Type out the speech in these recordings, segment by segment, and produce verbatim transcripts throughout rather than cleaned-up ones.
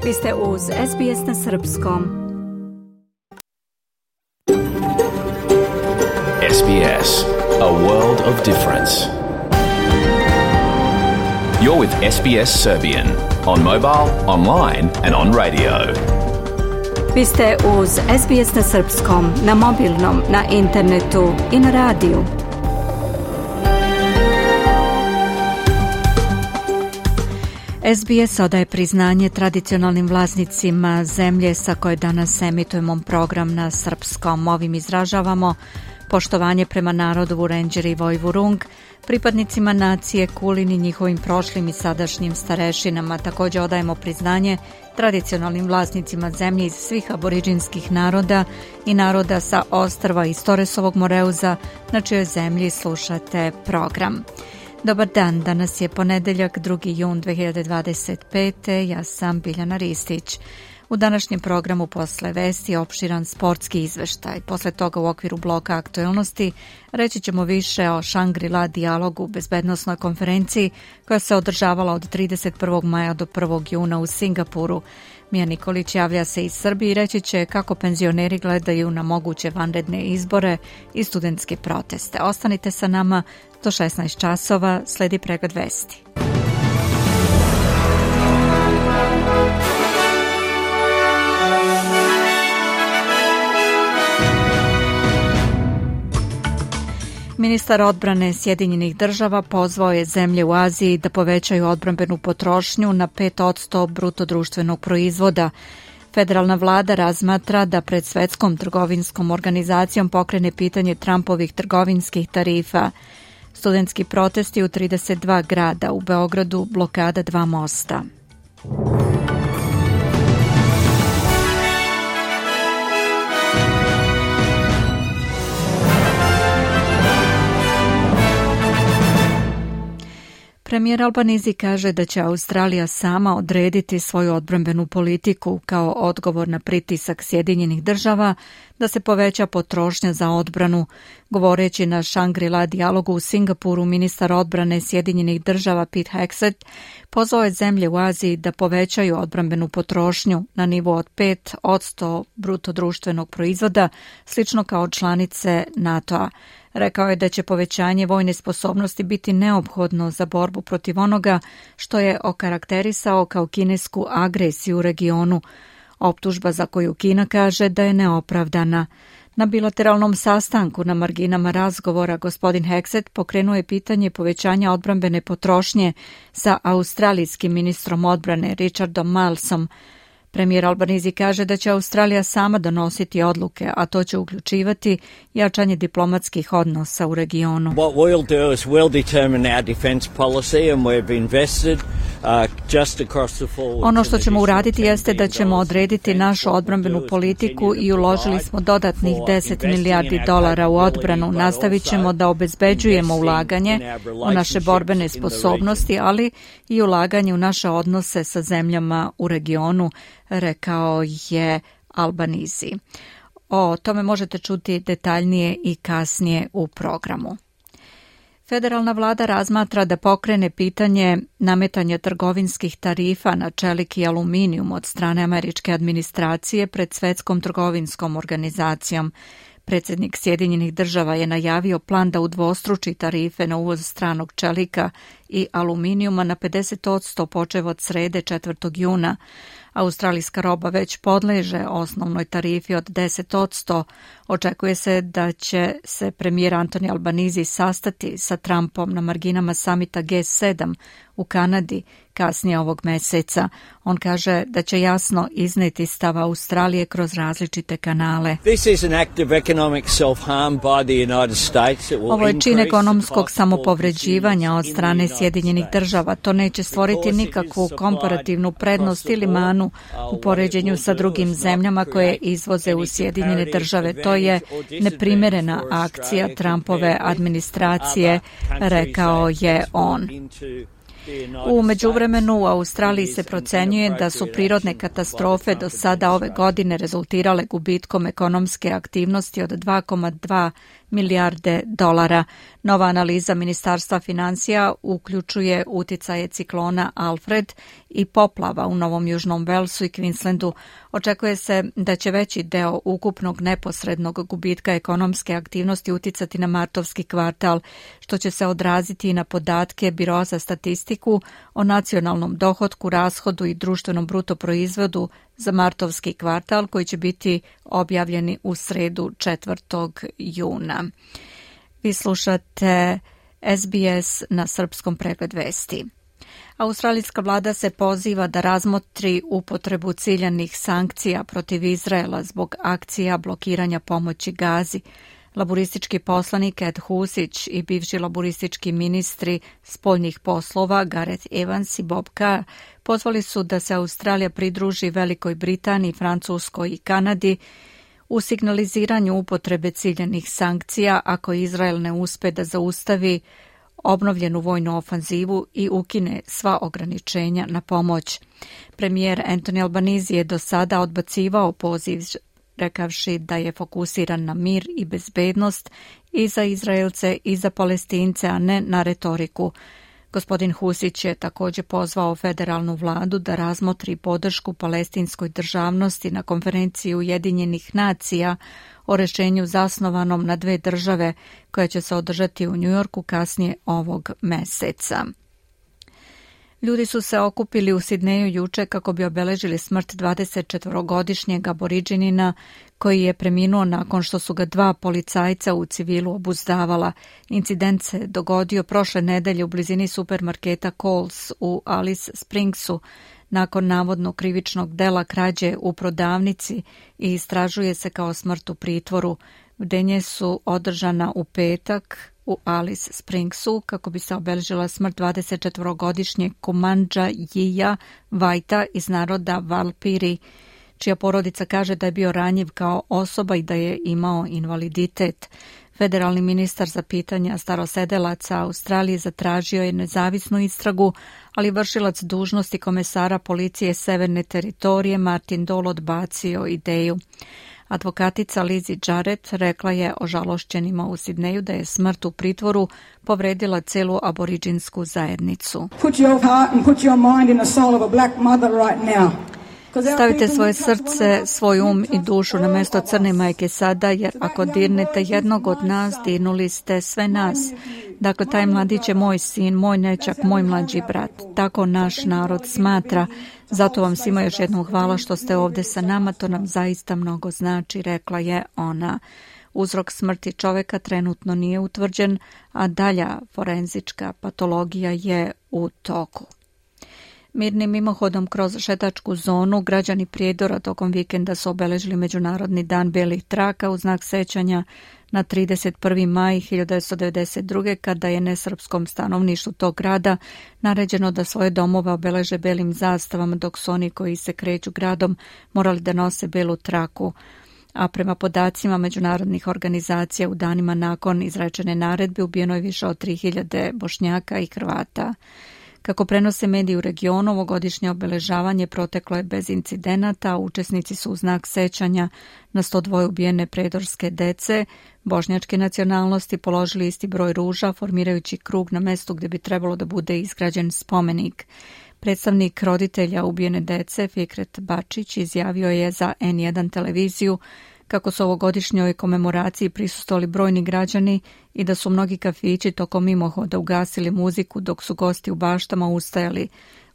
Vi ste uz S B S na srpskom. S B S, a world of difference. You're with S B S Serbian on mobile, online and on radio. Vi ste uz S B S na srpskom, na mobilnom, na internetu i na radiju. S B S odaje priznanje tradicionalnim vlasnicima zemlje sa koje danas emitujemo program na srpskom. Ovim izražavamo poštovanje prema narodu Vurenđeri i Vojvurung, pripadnicima nacije Kulin i njihovim prošlim i sadašnjim starešinama. Također odajemo priznanje tradicionalnim vlasnicima zemlje iz svih aboriđinskih naroda i naroda sa ostrva iz Toresovog Moreuza, na čijoj zemlji slušate program. Dobar dan, danas je ponedeljak, drugi jun dve hiljade dvadeset pete. Ja sam Biljana Ristić. U današnjem programu posle vesti opširan sportski izveštaj. Posle toga u okviru bloka aktuelnosti reći ćemo više o Shangri-La dijalogu, bezbednosnoj konferenciji koja se održavala od trideset prvog maja do prvog juna u Singapuru. Mija Nikolić javlja se iz Srbije i reći će kako penzioneri gledaju na moguće vanredne izbore i studentske proteste. Ostanite sa nama do šesnaest časova, sledi pregled vesti. Ministar odbrane Sjedinjenih država pozvao je zemlje u Aziji da povećaju odbrambenu potrošnju na pet posto bruto društvenog proizvoda. Federalna vlada razmatra da pred Svetskom trgovinskom organizacijom pokrene pitanje Trumpovih trgovinskih tarifa. Studentski protesti u trideset dva grada, u Beogradu blokada dva mosta. Premijer Albanizi kaže da će Australija sama odrediti svoju odbrambenu politiku kao odgovor na pritisak Sjedinjenih država da se poveća potrošnja za odbranu. Govoreći na Shangri-La dijalogu u Singapuru, ministar odbrane Sjedinjenih država Pete Hegseth pozvao je zemlje u Aziji da povećaju odbrambenu potrošnju na nivo od pet posto bruto društvenog proizvoda, slično kao članice NATO-a. Rekao je da će povećanje vojne sposobnosti biti neophodno za borbu protiv onoga što je okarakterisao kao kinesku agresiju u regionu. Optužba za koju Kina kaže da je neopravdana. Na bilateralnom sastanku na marginama razgovora gospodin Hegseth pokrenuo je pitanje povećanja odbrambene potrošnje sa australijskim ministrom odbrane Richardom Milesom. Premijer Albanizi kaže da će Australija sama donositi odluke, a to će uključivati jačanje diplomatskih odnosa u regionu. What we'll do is we'll determine our defense policy and we've invested uh, just across the forward. Ono što ćemo uraditi jeste da ćemo odrediti našu odbrambenu politiku i uložili smo dodatnih deset milijardi dolara u odbranu. Nastavit ćemo da obezbeđujemo ulaganje u naše borbene sposobnosti, ali i ulaganje u naše odnose sa zemljama u regionu, rekao je Albanizi. O tome možete čuti detaljnije i kasnije u programu. Federalna vlada razmatra da pokrene pitanje nametanja trgovinskih tarifa na čelik i aluminijum od strane američke administracije pred Svetskom trgovinskom organizacijom. Predsjednik Sjedinjenih država je najavio plan da udvostruči tarife na uvoz stranog čelika i aluminijuma na pedeset posto počev od srede četvrtog juna. Australijska roba već podleže osnovnoj tarifi od deset posto. Očekuje se da će se premijer Antoni Albanizi sastati sa Trumpom na marginama samita G sedam u Kanadi kasnije ovog meseca. On kaže da će jasno izneti stav Australije kroz različite kanale. Ovo je čin ekonomskog samopovređivanja od strane Sjedinjenih država. To neće stvoriti nikakvu komparativnu prednost ili manu u poređenju sa drugim zemljama koje izvoze u Sjedinjene države. To je neprimerena akcija Trumpove administracije, rekao je on. U međuvremenu u Australiji se procenjuje da su prirodne katastrofe do sada ove godine rezultirale gubitkom ekonomske aktivnosti od dva zarez dva milijarde dolara. Nova analiza Ministarstva financija uključuje uticaje ciklona Alfred i poplava u Novom Južnom Velsu i Queenslandu. Očekuje se da će veći deo ukupnog neposrednog gubitka ekonomske aktivnosti uticati na martovski kvartal, što će se odraziti i na podatke Biroa za statistiku o nacionalnom dohotku, rashodu i društvenom bruto proizvodu za martovski kvartal koji će biti objavljeni u sredu četvrtog juna. Vi slušate S B S na srpskom pregled vesti. Australijska vlada se poziva da razmotri upotrebu ciljanih sankcija protiv Izraela zbog akcija blokiranja pomoći Gazi. Laburistički poslanik Ed Husić i bivši laburistički ministri spoljnih poslova Gareth Evans i Bob Carr pozvali su da se Australija pridruži Velikoj Britaniji, Francuskoj i Kanadi u signaliziranju upotrebe ciljanih sankcija ako Izrael ne uspe da zaustavi obnovljenu vojnu ofanzivu i ukine sva ograničenja na pomoć. Premijer Anthony Albanese je do sada odbacivao poziv, rekavši da je fokusiran na mir i bezbednost i za Izraelce i za Palestince, a ne na retoriku. Gospodin Husić je također pozvao federalnu vladu da razmotri podršku palestinskoj državnosti na konferenciji Ujedinjenih nacija o rešenju zasnovanom na dve države koja će se održati u Njujorku kasnije ovog meseca. Ljudi su se okupili u Sidneju juče kako bi obeležili smrt dvadesetčetvorogodišnjeg aboriđinina koji je preminuo nakon što su ga dva policajca u civilu obuzdavala. Incident se dogodio prošle nedelje u blizini supermarketa Coles u Alice Springsu nakon navodno krivičnog dela krađe u prodavnici i istražuje se kao smrt u pritvoru. Bdenje su održana u petak u Alice Springsu kako bi se obeležila smrt dvadesetčetvorogodišnjeg Kumandža Jija Vajta iz naroda Valpiri, čija porodica kaže da je bio ranjiv kao osoba i da je imao invaliditet. Federalni ministar za pitanja starosedelaca Australije zatražio je nezavisnu istragu, ali vršilac dužnosti komesara policije Severne teritorije Martin Dole odbacio ideju. Advokatica Lizzie Jarrett rekla je ožalošćenima u Sidneju da je smrt u pritvoru povredila celu aboriđinsku zajednicu. Put your heart and put your mind in the soul of a black mother right now. Stavite svoje srce, svoj um i dušu na mesto crne majke sada, jer ako dirnete jednog od nas, dirnuli ste sve nas. Dakle, taj mladić je moj sin, moj nećak, moj mlađi brat. Tako naš narod smatra. Zato vam svima još jednom hvala što ste ovdje sa nama, to nam zaista mnogo znači, rekla je ona. Uzrok smrti čoveka trenutno nije utvrđen, a dalja forenzička patologija je u toku. Mirnim mimohodom kroz šetačku zonu građani Prijedora tokom vikenda su obeležili Međunarodni dan belih traka u znak sećanja na trideset prvi maj hiljadu devetsto devedeset druge. kada je nesrpskom stanovništvu tog grada naređeno da svoje domove obeleže belim zastavama, dok su oni koji se kreću gradom morali da nose belu traku. A prema podacima međunarodnih organizacija u danima nakon izrečene naredbe ubijeno je više od tri hiljade Bošnjaka i Hrvata. Kako prenose mediji u regionu, ovogodišnje obeležavanje proteklo je bez incidenata, učesnici su u znak sećanja na sto dva ubijene predorske dece bošnjačke nacionalnosti položili isti broj ruža, formirajući krug na mestu gdje bi trebalo da bude izgrađen spomenik. Predstavnik roditelja ubijene dece, Fikret Bačić, izjavio je za N jedan televiziju kako su ovogodišnjoj komemoraciji prisustvovali brojni građani i da su mnogi kafići tokom mimohoda ugasili muziku dok su gosti u baštama ustajali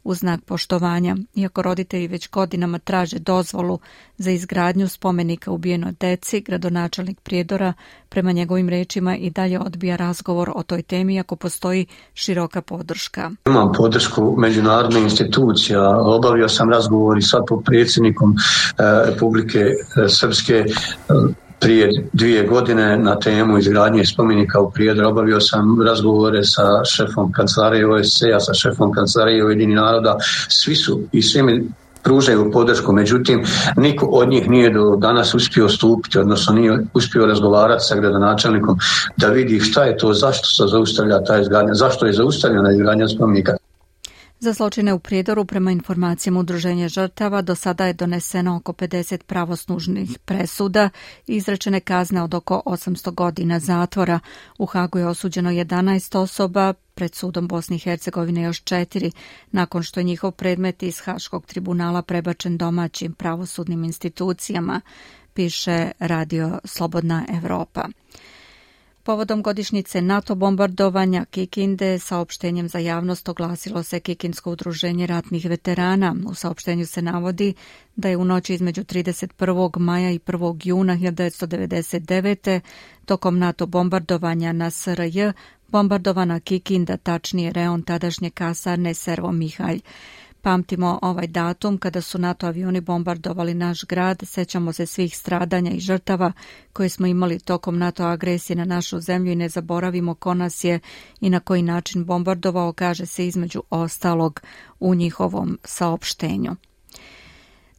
u znak poštovanja. Iako roditelji već godinama traže dozvolu za izgradnju spomenika ubijenoj deci, gradonačelnik Prijedora prema njegovim rečima i dalje odbija razgovor o toj temi ako postoji široka podrška. Imam podršku međunarodnih institucija, obavio sam razgovor i sad pod predsjednikom eh, Republike eh, Srpske eh, prije dvije godine na temu izgradnje spomenika u Prijedoru. Obavio sam razgovore sa šefom kancelarije O S C-a, sa šefom kancelarije Ujedinjenih naroda. Svi su i svi mi pružaju podršku, međutim niko od njih nije do danas uspio stupiti, odnosno nije uspio razgovarati sa gradonačelnikom da vidi šta je to, zašto se zaustavlja ta izgradnja, zašto je zaustavljena izgradnja spomenika. Za zločine u Prijedoru, prema informacijama Udruženja žrtava, do sada je doneseno oko pedeset pravosnažnih presuda i izrečene kazne od oko osamsto godina zatvora. U Hagu je osuđeno jedanaest osoba, pred sudom Bosne i Hercegovine još četiri, nakon što je njihov predmet iz Haškog tribunala prebačen domaćim pravosudnim institucijama, piše Radio Slobodna Evropa. Povodom godišnjice NATO bombardovanja Kikinde saopštenjem za javnost oglasilo se Kikinsko udruženje ratnih veterana. U saopštenju se navodi da je u noći između trideset prvog maja i prvog juna hiljadu devetsto devedeset devete. tokom NATO bombardovanja na S R J bombardovana Kikinda, tačnije reon tadašnje kasarne Servo Mihalj. Pamtimo ovaj datum kada su NATO avioni bombardovali naš grad, sećamo se svih stradanja i žrtava koje smo imali tokom NATO agresije na našu zemlju i ne zaboravimo ko nas je i na koji način bombardovao, kaže se između ostalog u njihovom saopštenju.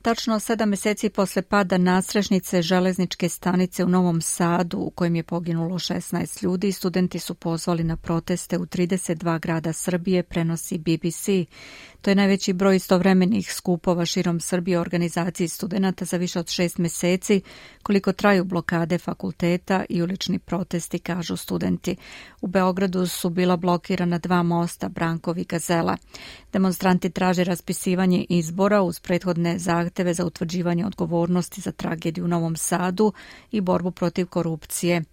Tačno sedam meseci posle pada nadstrešnice železničke stanice u Novom Sadu, u kojem je poginulo šesnaest ljudi, studenti su pozvali na proteste u trideset dva grada Srbije, prenosi B B C. To je najveći broj istovremenih skupova širom Srbije u organizaciji studenata za više od šest meseci, koliko traju blokade fakulteta i ulični protesti, kažu studenti. U Beogradu su bila blokirana dva mosta, Brankov i Gazela. Demonstranti traže raspisivanje izbora uz prethodne zahteve za utvrđivanje odgovornosti za tragediju u Novom Sadu i borbu protiv korupcije.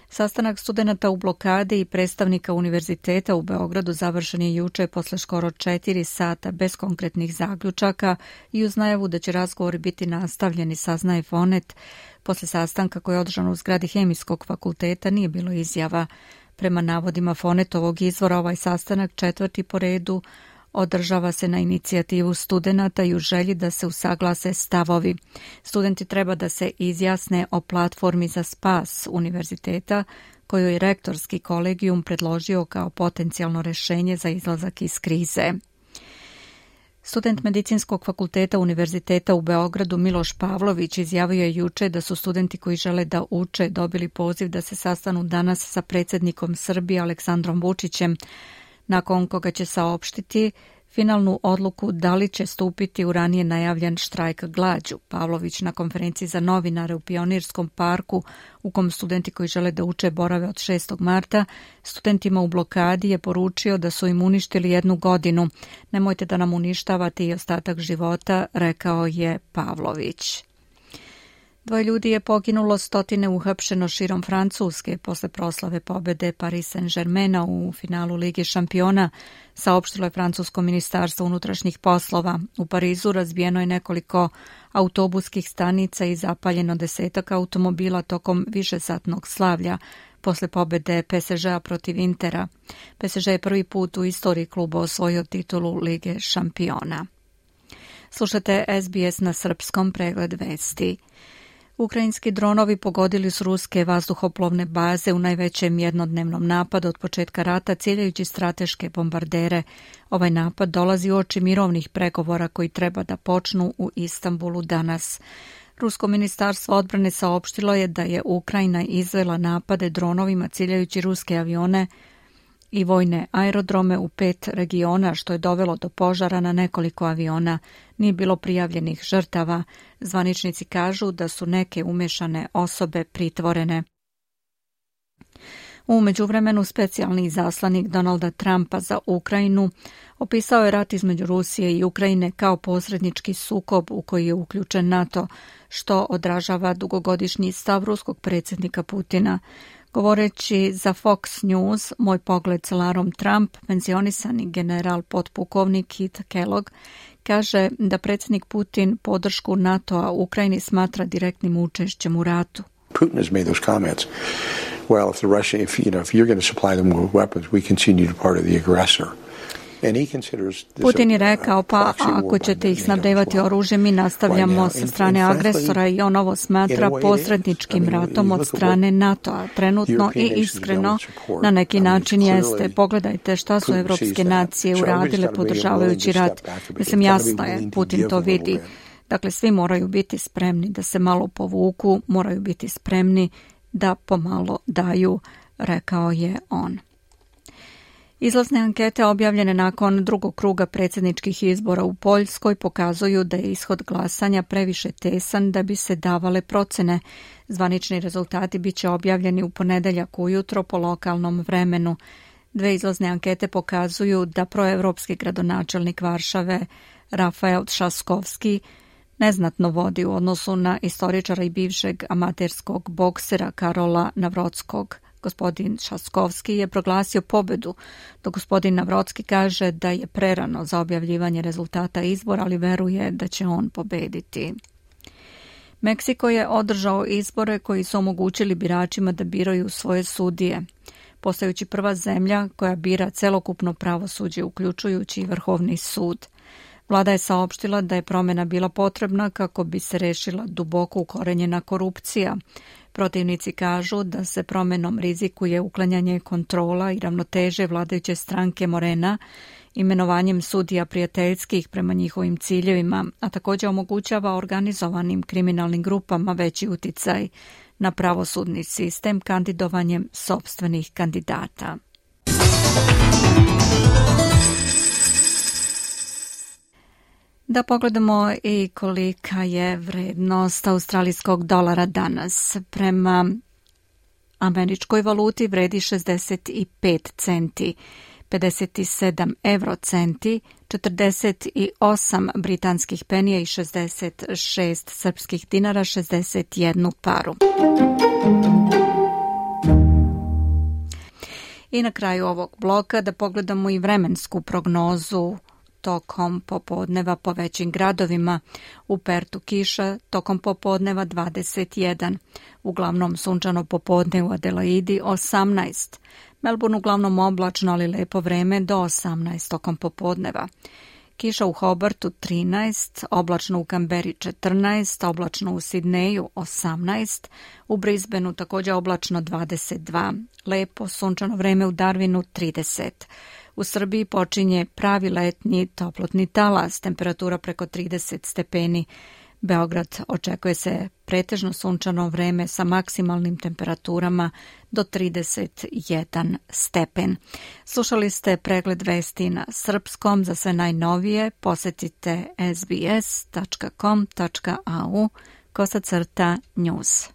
Sastanak studenata u blokadi i predstavnika univerziteta u Beogradu završen je juče posle skoro četiri sata bez konkretnih zaključaka i uz najavu da će razgovori biti nastavljeni, saznaje Fonet. Posle sastanka koji je održan u zgradi Hemijskog fakulteta nije bilo izjava. Prema navodima Fonetovog izvora, ovaj sastanak, četvrti po redu, održava se na inicijativu studenata i u želji da se usaglase stavovi. Studenti treba da se izjasne o platformi za spas univerziteta, koju je rektorski kolegijum predložio kao potencijalno rešenje za izlazak iz krize. Student Medicinskog fakulteta Univerziteta u Beogradu Miloš Pavlović izjavio je juče da su studenti koji žele da uče dobili poziv da se sastanu danas sa predsjednikom Srbije Aleksandrom Vučićem, nakon koga će saopštiti finalnu odluku da li će stupiti u ranije najavljen štrajk glađu. Pavlović na konferenciji za novinare u Pionirskom parku, u kom studenti koji žele da uče borave od šestog marta, studentima u blokadi je poručio da su im uništili jednu godinu. Nemojte da nam uništavate i ostatak života, rekao je Pavlović. Dvoje ljudi je poginulo, stotine uhapšeno širom Francuske posle proslave pobede Paris Saint-Germaina u finalu Lige šampiona, saopštilo je francusko ministarstvo unutrašnjih poslova. U Parizu razbijeno je nekoliko autobuskih stanica i zapaljeno desetak automobila tokom višesatnog slavlja posle pobede P S G-a protiv Intera. P S G je prvi put u istoriji kluba osvojio titulu Lige šampiona. Slušate S B S na srpskom, pregled vesti. Ukrajinski dronovi pogodili su ruske vazduhoplovne baze u najvećem jednodnevnom napadu od početka rata, ciljajući strateške bombardere. Ovaj napad dolazi uoči mirovnih pregovora koji treba da počnu u Istanbulu danas. Rusko ministarstvo odbrane saopštilo je da je Ukrajina izvela napade dronovima ciljajući ruske avione i vojne aerodrome u pet regiona, što je dovelo do požara na nekoliko aviona. Nije bilo prijavljenih žrtava. Zvaničnici kažu da su neke umešane osobe pritvorene. U međuvremenu specijalni izaslanik Donalda Trumpa za Ukrajinu opisao je rat između Rusije i Ukrajine kao posrednički sukob u koji je uključen NATO, što odražava dugogodišnji stav ruskog predsjednika Putina. Govoreći za Fox News, moj pogled sa Larom Trump, penzionisani general potpukovnik Keith Kellogg, kaže da predsjednik Putin podršku NATO-a u Ukrajini smatra direktnim učešćem u ratu. Putin has made those comments. Well, if the Russia, if you know, if you're going to supply them with weapons, we continue to part of the aggressor. Putin je rekao, pa ako ćete ih snabdevati oružjem, mi nastavljamo sa strane agresora i on ovo smatra posredničkim ratom od strane NATO-a. Trenutno i iskreno na neki način jeste. Pogledajte šta su evropske nacije uradile podržavajući rat. Mislim, jasno je, Putin to vidi. Dakle, svi moraju biti spremni da se malo povuku, moraju biti spremni da pomalo daju, rekao je on. Izlazne ankete objavljene nakon drugog kruga predsjedničkih izbora u Poljskoj pokazuju da je ishod glasanja previše tesan da bi se davale procene. Zvanični rezultati bit će objavljeni u ponedeljak ujutro po lokalnom vremenu. Dve izlazne ankete pokazuju da proevropski gradonačelnik Varšave Rafael Trzaskowski neznatno vodi u odnosu na istoričara i bivšeg amaterskog boksera Karola Nawrockiego. Gospodin Trzaskowski je proglasio pobedu, dok gospodin Nawrocki kaže da je prerano za objavljivanje rezultata izbora, ali veruje da će on pobediti. Meksiko je održao izbore koji su omogućili biračima da biraju svoje sudije, postajući prva zemlja koja bira celokupno pravosuđe, uključujući i Vrhovni sud. Vlada je saopštila da je promjena bila potrebna kako bi se rešila duboko ukorenjena korupcija. Protivnici kažu da se promjenom rizikuje uklanjanje kontrola i ravnoteže vladajuće stranke Morena, imenovanjem sudija prijateljskih prema njihovim ciljevima, a također omogućava organizovanim kriminalnim grupama veći uticaj na pravosudni sistem kandidovanjem sopstvenih kandidata. Da pogledamo i kolika je vrednost australijskog dolara danas. Prema američkoj valuti vredi šezdeset pet centi, pedeset sedam evrocenti, četrdeset osam britanskih penija i šezdeset šest srpskih dinara, šezdeset jednu paru. I na kraju ovog bloka da pogledamo i vremensku prognozu tokom popodneva po većim gradovima. U Pertu kiša, tokom popodneva dvadeset jedan. Uglavnom sunčano popodne u Adelaidi osamnaest. Melbourne uglavnom oblačno, ali lepo vreme do osamnaest tokom popodneva. Kiša u Hobartu trinaest, oblačno u Kamberi četrnaest, oblačno u Sidneju osamnaest, u Brisbaneu također oblačno dvadeset dva, lepo sunčano vreme u Darwinu trideset. U Srbiji počinje pravi letnji toplotni talas, temperatura preko trideset stepeni. Beograd očekuje se pretežno sunčano vreme sa maksimalnim temperaturama do trideset jedan stepen. Slušali ste pregled vesti na srpskom. Za sve najnovije posetite es be es tačka com tačka a u kosacrta news.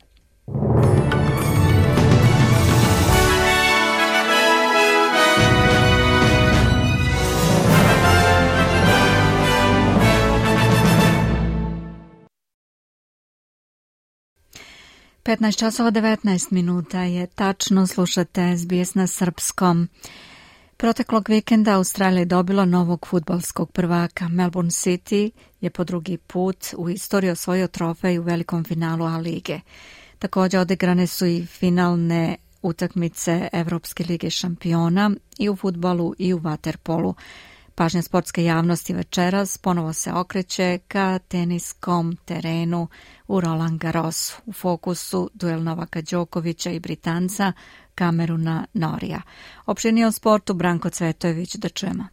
petnaest časova devetnaest minuta je tačno, slušate es be es na srpskom. Proteklog vikenda Australija je dobila novog fudbalskog prvaka. Melbourne City je po drugi put u istoriji osvojio trofej u velikom finalu A lige. Također odigrane su i finalne utakmice Evropske lige šampiona i u fudbalu i u vaterpolu. Pažnja sportske javnosti večeras ponovo se okreće ka teniskom terenu u Roland Garrosu. U fokusu duel Novaka Đokovića i Britanca Kameruna Norija. Opširnije o sportu Branko Cvetojević, da čujemo.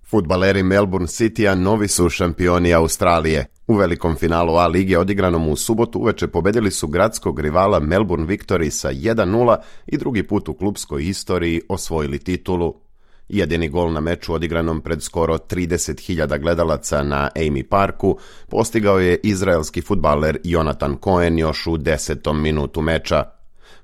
Fudbaleri Melbourne Citya novi su šampioni Australije. U velikom finalu A lige odigranom u subotu uveče pobedili su gradskog rivala Melbourne Victory sa jedan nula i drugi put u klupskoj istoriji osvojili titulu. Jedini gol na meču odigranom pred skoro trideset hiljada gledalaca na Amy Parku postigao je izraelski fudbaler Jonathan Cohen još u desetom minutu meča.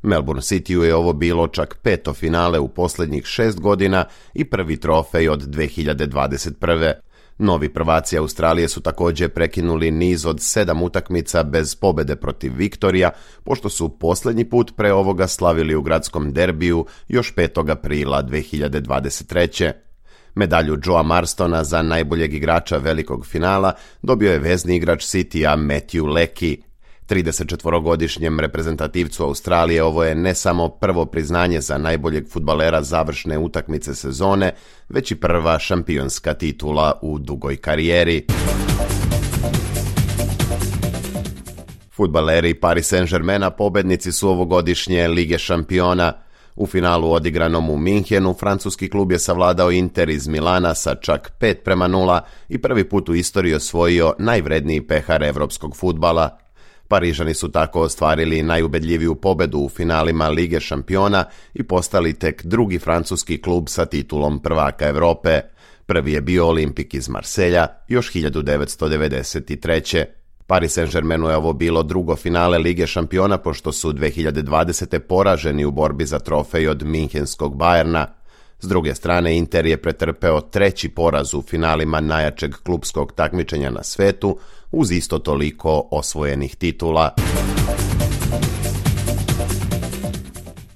Melbourne Cityu je ovo bilo čak peto finale u posljednjih šest godina i prvi trofej od dve hiljade dvadeset prve. Novi prvaci Australije su također prekinuli niz od sedam utakmica bez pobede protiv Viktorija, pošto su posljednji put pre ovoga slavili u gradskom derbiju još petog aprila dve hiljade dvadeset treće. Medalju Joea Marstona za najboljeg igrača velikog finala dobio je vezni igrač Citya Matthew Leckie. tridesetčetvorogodišnjem reprezentativcu Australije ovo je ne samo prvo priznanje za najboljeg fudbalera završne utakmice sezone, već i prva šampionska titula u dugoj karijeri. Fudbaleri Paris Saint-Germaina pobednici su ovogodišnje Lige šampiona. U finalu odigranom u Minhenu, francuski klub je savladao Inter iz Milana sa čak pet prema nula i prvi put u istoriji osvojio najvredniji pehar evropskog fudbala. Parižani su tako ostvarili najubedljiviju pobedu u finalima Lige šampiona i postali tek drugi francuski klub sa titulom prvaka Evrope. Prvi je bio Olimpik iz Marselja još hiljadu devetsto devedeset treće. Paris Saint-Germainu je ovo bilo drugo finale Lige šampiona pošto su dve hiljade dvadesete poraženi u borbi za trofej od minhenskog Bayerna. S druge strane, Inter je pretrpeo treći poraz u finalima najjačeg klupskog takmičenja na svetu uz isto toliko osvojenih titula.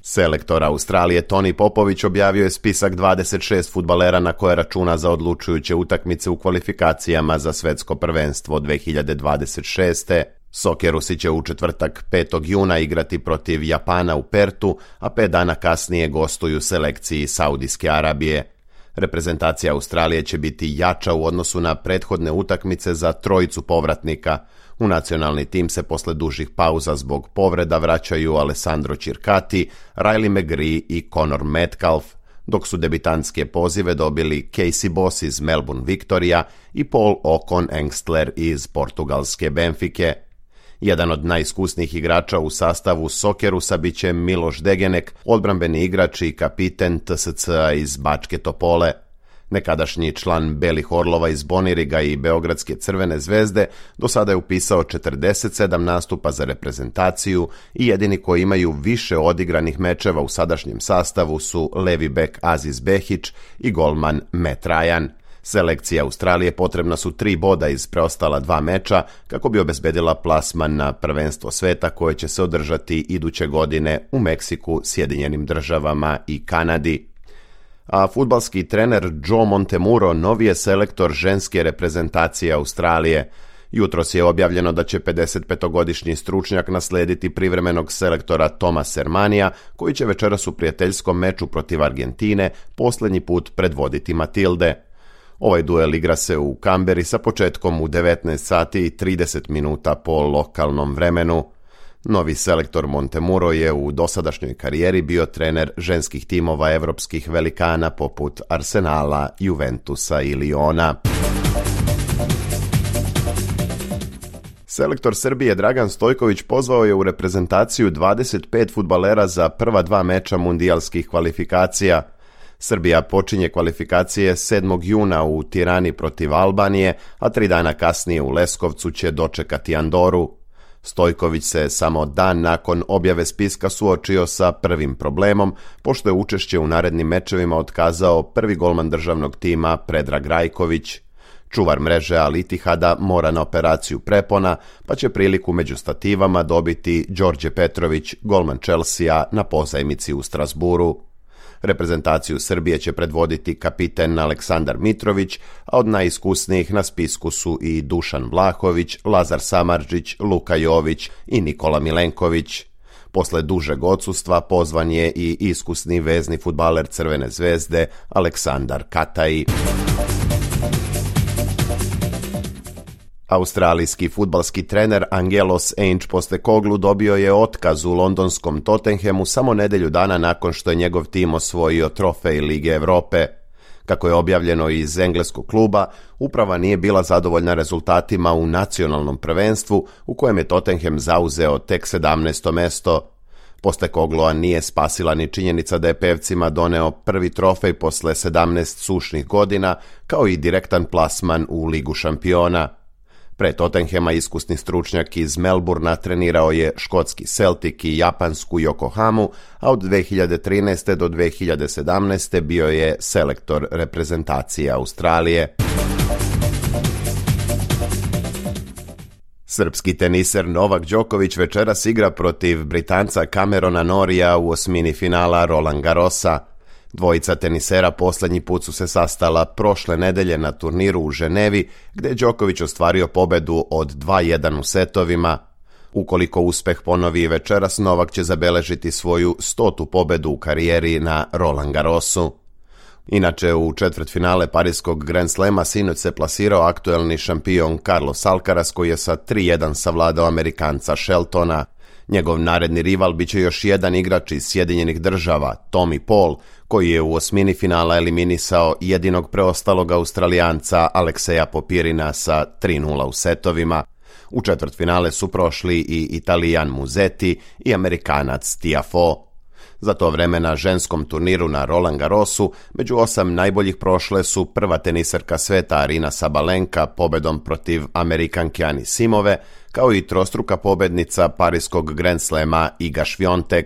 Selektor Australije Toni Popović objavio je spisak dvadeset šest fudbalera na koje računa za odlučujuće utakmice u kvalifikacijama za svetsko prvenstvo dve hiljade dvadeset šeste. Sokerusi će u četvrtak petog juna igrati protiv Japana u Pertu, a pet dana kasnije gostuju selekciji Saudijske Arabije. Reprezentacija Australije će biti jača u odnosu na prethodne utakmice za trojicu povratnika. U nacionalni tim se posle dužih pauza zbog povreda vraćaju Alessandro Circati, Riley McGree i Conor Metcalf, dok su debitantske pozive dobili Casey Boss iz Melbourne Victoria i Paul Ocon Engstler iz portugalske Benfike. Jedan od najiskusnijih igrača u sastavu Sokerusa bit će Miloš Degenek, odbrambeni igrač i kapiten T S C-a iz Bačke Topole. Nekadašnji član Belih Orlova iz Boniriga i Beogradske Crvene zvezde do sada je upisao četrdeset sedam nastupa za reprezentaciju i jedini koji imaju više odigranih mečeva u sadašnjem sastavu su levi bek Aziz Behić i golman Matt Ryan. Selekciji Australije potrebna su tri boda iz preostala dva meča kako bi obezbedila plasman na prvenstvo sveta koje će se održati iduće godine u Meksiku, Sjedinjenim državama i Kanadi. A fudbalski trener Joe Montemuro novi je selektor ženske reprezentacije Australije. Jutros je objavljeno da će pedesetpetogodišnji stručnjak naslediti privremenog selektora Toma Sermanija, koji će večeras u prijateljskom meču protiv Argentine posljednji put predvoditi Matilde. Ovaj duel igra se u Kamberi sa početkom u devetnaest sati i trideset minuta po lokalnom vremenu. Novi selektor Montemuro je u dosadašnjoj karijeri bio trener ženskih timova evropskih velikana poput Arsenala, Juventusa i Liona. Selektor Srbije Dragan Stojković pozvao je u reprezentaciju dvadeset pet fudbalera za prva dva meča mundijalskih kvalifikacija. Srbija počinje kvalifikacije sedmog juna u Tirani protiv Albanije, a tri dana kasnije u Leskovcu će dočekati Andoru. Stojković se samo dan nakon objave spiska suočio sa prvim problemom, pošto je učešće u narednim mečevima otkazao prvi golman državnog tima Predrag Rajković. Čuvar mreže Al Ittihada mora na operaciju prepona, pa će priliku među stativama dobiti Đorđe Petrović, golman Chelsea na pozajmici u Strasburu. Reprezentaciju Srbije će predvoditi kapiten Aleksandar Mitrović, a od najiskusnijih na spisku su i Dušan Vlahović, Lazar Samardžić, Luka Jović i Nikola Milenković. Posle dužeg odsustva pozvan je i iskusni vezni fudbaler Crvene zvezde Aleksandar Katai. Australijski fudbalski trener Angelos Ange-Postecoglou dobio je otkaz u londonskom Tottenhamu samo nedelju dana nakon što je njegov tim osvojio trofej Lige Evrope. Kako je objavljeno iz engleskog kluba, uprava nije bila zadovoljna rezultatima u nacionalnom prvenstvu u kojem je Tottenham zauzeo tek sedamnaesto mesto. Postekogloa nije spasila ni činjenica da je pevcima doneo prvi trofej posle sedamnaest sušnih godina, kao i direktan plasman u Ligu šampiona. Pre Tottenhama iskusni stručnjak iz Melburna trenirao je škotski Celtic i japansku Yokohamu, a od dve hiljade trinaeste do dve hiljade sedamnaeste bio je selektor reprezentacije Australije. Srpski teniser Novak Đoković večeras igra protiv Britanca Camerona Norrija u osmini finala Roland Garrosa. Dvojica tenisera posljednji put su se sastala prošle nedelje na turniru u Ženevi, gdje je Đoković ostvario pobedu od dva jedan u setovima. Ukoliko uspeh ponovi večeras, Novak će zabeležiti svoju stotu pobedu u karijeri na Roland Garrosu. Inače, u četvrtfinale Pariskog Grand Slema sinoć se plasirao aktuelni šampion Carlos Alcaraz, koji je sa tri jedan savladao Amerikanca Sheltona. Njegov naredni rival biće još jedan igrač iz Sjedinjenih država, Tommy Paul, koji je u osmini finala eliminisao jedinog preostalog Australijanca Alekseja Popirina sa tri nula u setovima. U četvrtfinale su prošli i Italijan Musetti i Amerikanac Tiafoe. Za to vreme na ženskom turniru na Roland Garrosu među osam najboljih prošle su prva tenisarka sveta Arina Sabalenka pobedom protiv Amerikanke Anisimove, kao i trostruka pobednica pariskog Grand Slema Iga Swiatek.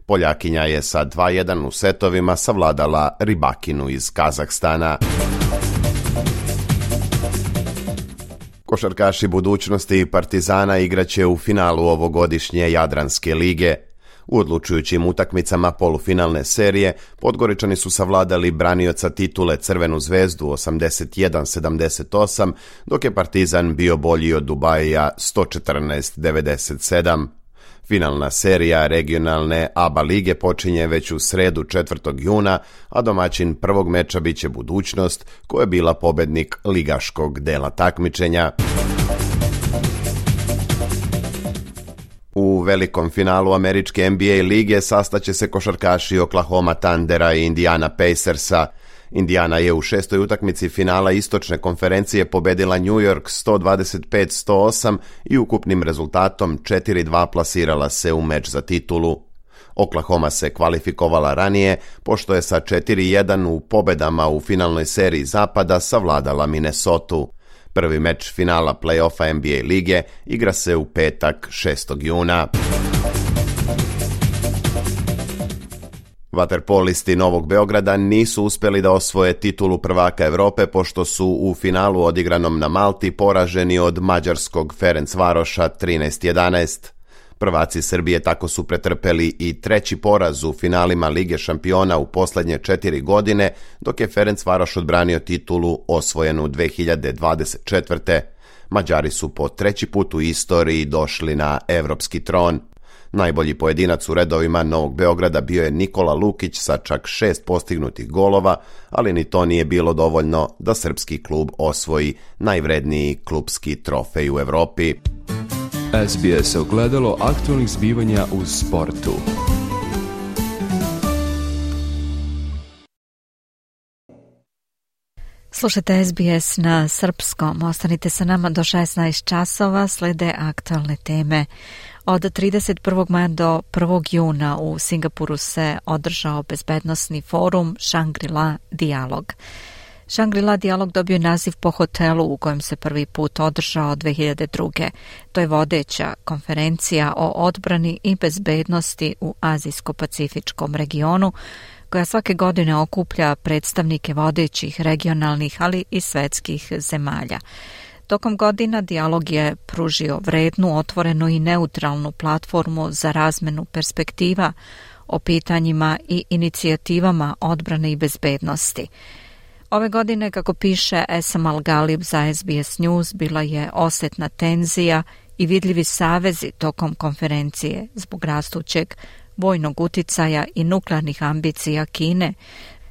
Poljakinja je sa dva jedan u setovima savladala Rybakinu iz Kazahstana. Košarkaši budućnosti Partizana igraće u finalu ovogodišnje Jadranske lige. U odlučujućim utakmicama polufinalne serije Podgoričani su savladali branioca titule Crvenu zvezdu osamdeset jedan sedamdeset osam, dok je Partizan bio bolji od Dubaija sto četrnaest devedeset sedam. Finalna serija regionalne A B A lige počinje već u sredu četvrtog juna, a domaćin prvog meča biće Budućnost, koja je bila pobednik ligaškog dela takmičenja. U velikom finalu američke N B A lige sastaće se košarkaši Oklahoma Thundera i Indiana Pacersa. Indiana je u šestoj utakmici finala istočne konferencije pobedila New York sto dvadeset pet sto osam i ukupnim rezultatom četiri dva plasirala se u meč za titulu. Oklahoma se kvalifikovala ranije, pošto je sa četiri jedan u pobedama u finalnoj seriji zapada savladala Minnesotu. Prvi meč finala play-offa N B A lige igra se u petak šestog juna. Vaterpolisti Novog Beograda nisu uspjeli da osvoje titulu prvaka Evrope, pošto su u finalu odigranom na Malti poraženi od mađarskog Ferencvaroša trinaest jedanaest. Prvaci Srbije tako su pretrpeli i treći poraz u finalima Lige šampiona u posljednje četiri godine, dok je Ferencvaroš odbranio titulu osvojenu dve hiljade dvadeset četvrte. Mađari su po treći put u istoriji došli na evropski tron. Najbolji pojedinac u redovima Novog Beograda bio je Nikola Lukić sa čak šest postignutih golova, ali ni to nije bilo dovoljno da srpski klub osvoji najvredniji klubski trofej u Evropi. S B S ogledalo aktualnih zbivanja u sportu. Slušajte S B S na srpskom. Ostanite sa nama do šesnaest časova, slede aktualne teme. Od trideset prvog maja do prvog juna u Singapuru se održao bezbednosni forum Shangri-La Dijalog. Shangri-La Dijalog dobio je naziv po hotelu u kojem se prvi put održao dve hiljade druge. To je vodeća konferencija o odbrani i bezbednosti u Azijsko-Pacifičkom regionu, koja svake godine okuplja predstavnike vodećih regionalnih, ali i svetskih zemalja. Tokom godina dijalog je pružio vrednu, otvorenu i neutralnu platformu za razmenu perspektiva o pitanjima i inicijativama odbrane i bezbednosti. Ove godine, kako piše Esam Al-Galib za S B S News, bila je osetna tenzija i vidljivi savezi tokom konferencije zbog rastućeg vojnog uticaja i nuklearnih ambicija Kine,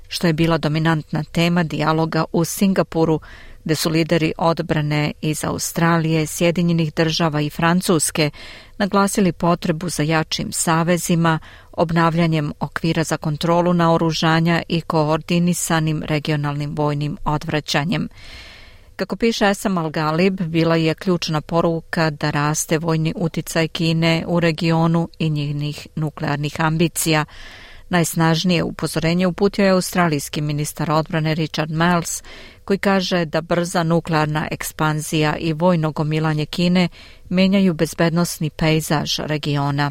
što je bila dominantna tema dijaloga u Singapuru, gde su lideri odbrane iz Australije, Sjedinjenih država i Francuske naglasili potrebu za jačim savezima, obnavljanjem okvira za kontrolu naoružanja i koordinisanim regionalnim vojnim odvraćanjem. Kako piše Esam Al-Galib, bila je ključna poruka da raste vojni uticaj Kine u regionu i njenih nuklearnih ambicija. Najsnažnije upozorenje uputio je australijski ministar odbrane Richard Marles, koji kaže da brza nuklearna ekspanzija i vojno gomilanje Kine menjaju bezbednosni pejzaž regiona.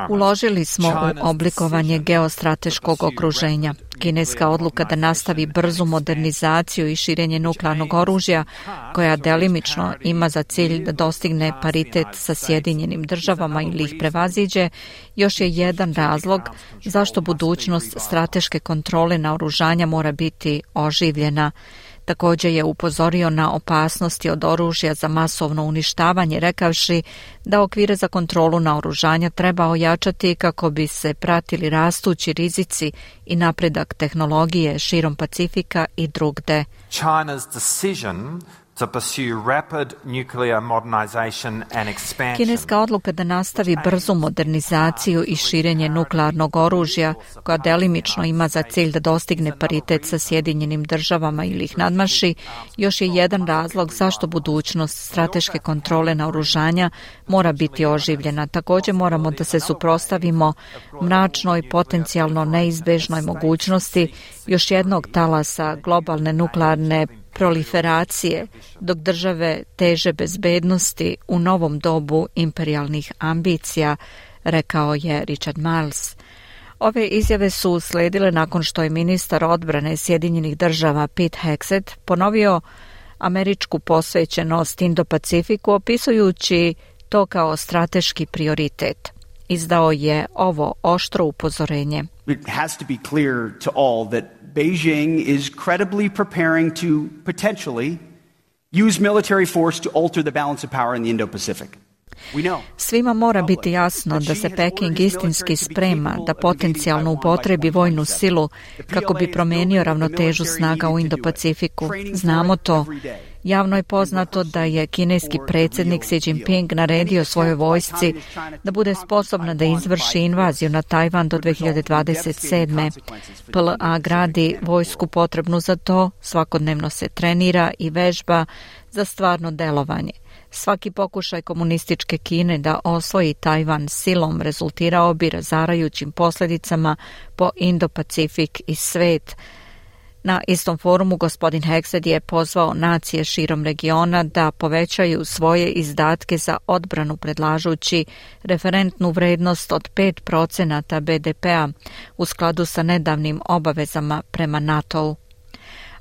Uložili smo u oblikovanje geostrateškog okruženja. Kineska odluka da nastavi brzu modernizaciju i širenje nuklearnog oružja, koja delimično ima za cilj da dostigne paritet sa Sjedinjenim državama ili ih prevaziđe, još je jedan razlog zašto budućnost strateške kontrole naoružanja mora biti oživljena. Također je upozorio na opasnosti od oružja za masovno uništavanje, rekavši da okvire za kontrolu naoružanja treba ojačati kako bi se pratili rastući rizici i napredak tehnologije širom Pacifika i drugde. China's decision Kineska odluka da nastavi brzu modernizaciju i širenje nuklearnog oružja, koja delimično ima za cilj da dostigne paritet sa Sjedinjenim državama ili ih nadmaši, još je jedan razlog zašto budućnost strateške kontrole naoružanja mora biti oživljena. Također moramo da se suprotstavimo mračnoj, potencijalno neizbežnoj mogućnosti još jednog talasa globalne nuklearne proliferacije, dok države teže bezbednosti u novom dobu imperijalnih ambicija, rekao je Richard Marles. Ove izjave su usledile nakon što je ministar odbrane Sjedinjenih država Pete Hegseth ponovio američku posvećenost Indo-Pacifiku, opisujući to kao strateški prioritet. Izdao je ovo oštro upozorenje. It has to be clear to all that Beijing is credibly preparing to potentially use military force to alter the balance of power in the Indo-Pacific. Svima mora biti jasno da se Peking istinski sprema da potencijalno upotrebi vojnu silu kako bi promenio ravnotežu snaga u Indo-Pacifiku. Znamo to. Javno je poznato da je kineski predsjednik Xi Jinping naredio svojoj vojsci da bude sposobna da izvrši invaziju na Tajvan do dve hiljade dvadeset sedme. P L A gradi vojsku potrebnu za to, svakodnevno se trenira i vežba za stvarno delovanje. Svaki pokušaj komunističke Kine da osvoji Tajvan silom rezultirao bi razarajućim posljedicama po Indo-Pacifik i svet. Na istom forumu gospodin Hegseth je pozvao nacije širom regiona da povećaju svoje izdatke za odbranu predlažući referentnu vrednost od pet procenata B D P-a u skladu sa nedavnim obavezama prema NATO-u.